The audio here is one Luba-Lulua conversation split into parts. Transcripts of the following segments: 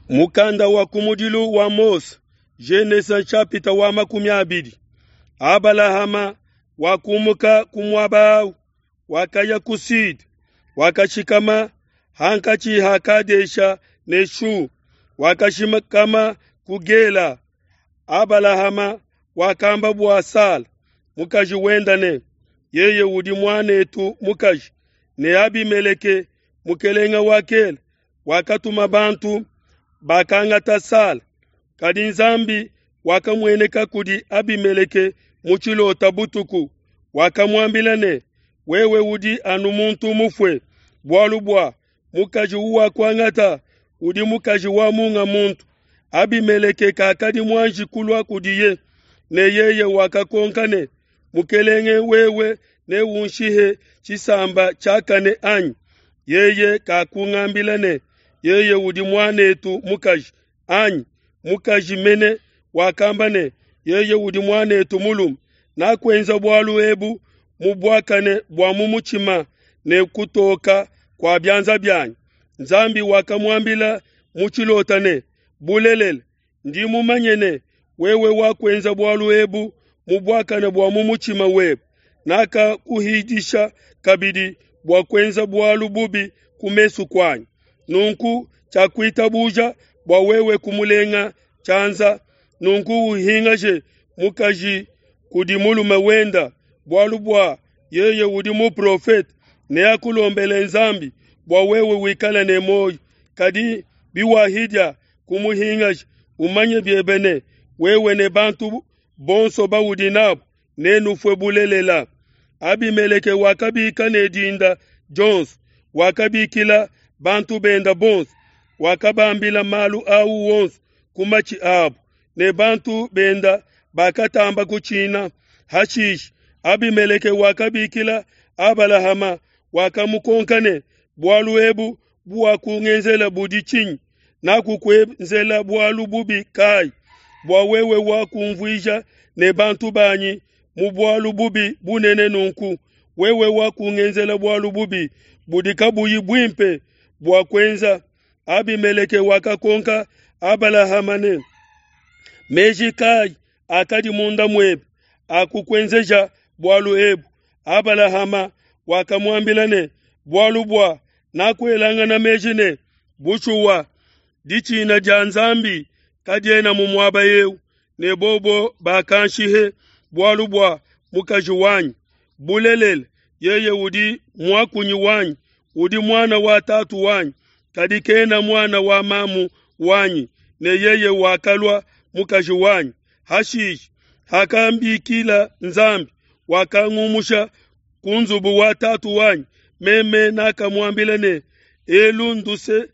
Mukanda wa kumudilu wa Mose, Genese nshapita wa 20. Abalahama wakumuka ku muaba au, wakaya ku Sud, wakashikama hankatshi ha Kadesha ne Shu, wakashikama ku Gela. Abalahama wakamba bua Sala mukaji wenda ne, yeye udi muanetu mukaji, ne Abimeleke mukelenge wa Gela wakatuma bantu bakangata Sala. Kadi Nzambi wakamueneka kudi Abimeleke mu tshilota butuku, wakamuambila ne, wewe udi anu muntu mufue, bualu bua mukaji uwakuangata udi mukaji wa munga muntu. Abimeleke kakadi muanji kulua kudiye, ne yeye wakakonka ne, Mukelenge wewe neunshihe tshisamba tshiakane anyi? Yeye kakungambila ne, yeye udi muanetu mukaji anyi? Mukaji mene wakamba ne, yeye udi muanetu mulume. Nakuenza bualu ebu mu buakane bua mu mutshima ne kutoka kua bianza bianyi. Nzambi wakamuambila mu tshilota ne, bulelela ndi mumanye ne, wewe wakuenza bualu ebu mu buakane bua mu mutshima webe. Nakakuhidisha kabidi bua kuenza bualu bubi ku mesu kuanyi. Nunku tshiakuitabuja bua wewe kumulenga tshianza. Nunku uhingaje mukaji kudi mulume wenda, bualu bua yeye udi muprofete, neakulombele Nzambi bua wewe wikale ne muoyo. Kadi biwahidia kumuhingaja, umanye biebe ne, wewe ne bantu bonso baudi nabo nenufue bulelela. Abimeleke wakabika ne dinda dionso, wakabikila bantu benda bonso, wakabambila malu au wonso ku matshi abo, ne bantu benda bakatamba kutshina. Hashishe Abimeleke wakabikila Abalahama, wakamukonka ne, bualu ebu buwakungenzela budi tshinyi? Nakukuenzela bualu bubi kai, bua wewe wakumvuija ne bantu banyi mu bualu bubi bunene nunku? Wewe wakungenzela bualu bubi budi kabuyi buimpe bua kuenza. Abimeleke wakakonka Abalahama ne, meji kai akadi munda muebe akukuenzeja bualu ebu? Abalahama wakamuambila ne, bualu bua nakuelangana meji ne, bushuwa ditshina dia Nzambi kadiena mu muaba eu, ne bobo bakanshihe bualu bua mukaji wanyi. Bulelela yeye udi muakunyi wanyi, udi muana wa tatu wanyi, kadi kena muana wa mamu wanyi, ne yeye wakalua mukaji wanyi. Hashishe hakambikila Nzambi, wakangumusha ku nzubu wa tatu wanyi. Meme nakamuambila ne, elu nduse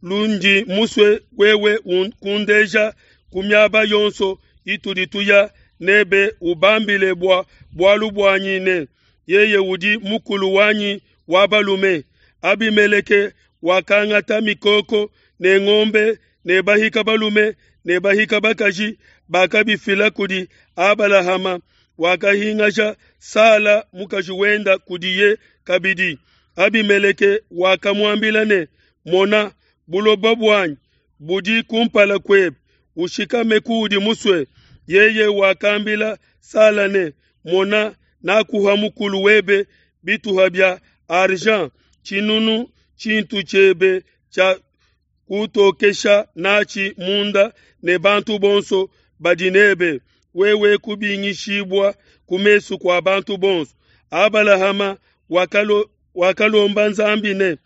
lundi musue wewe kundeja ku miaba yonso itudi tuya nebe, ubambile bua bualu buanyi ne, yeye udi mukulu wanyi wa balume. Abimeleke wakangata mikoko ne ngombe ne bahika balume ne bahika bakaji, bakabifila kudi Abalahama. Wakahingaja Sala mukaji wenda kudiye kabidi. Abimeleke wakamuambila ne, mona, buloba buanyi budi kumpala kuebe, ushikame kuudi musue. Yeye wakambila Sala ne, mona, nakuha mukulu webe bituha bia argent tshinunu, tshintu tshiebe tshia kutokesha natshi munda ne bantu bonso badi nebe, wewe kubingishibua ku mesu kua bantu bonso. Abalahama wakalomba Nzambi ne,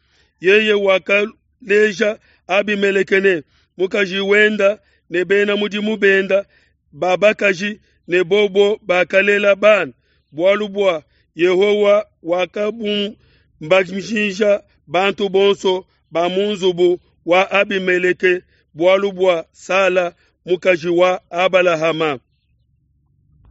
yeye wakaleja Abimeleke ne mukaji wenda ne bena mudimu benda babakaji, ne bobo bakalela bana, bualu bua Yehowa wakabumbajija bantu bonso ba mu nzubu wa Abimeleke bualu bua Sala mukaji wa Abalahama.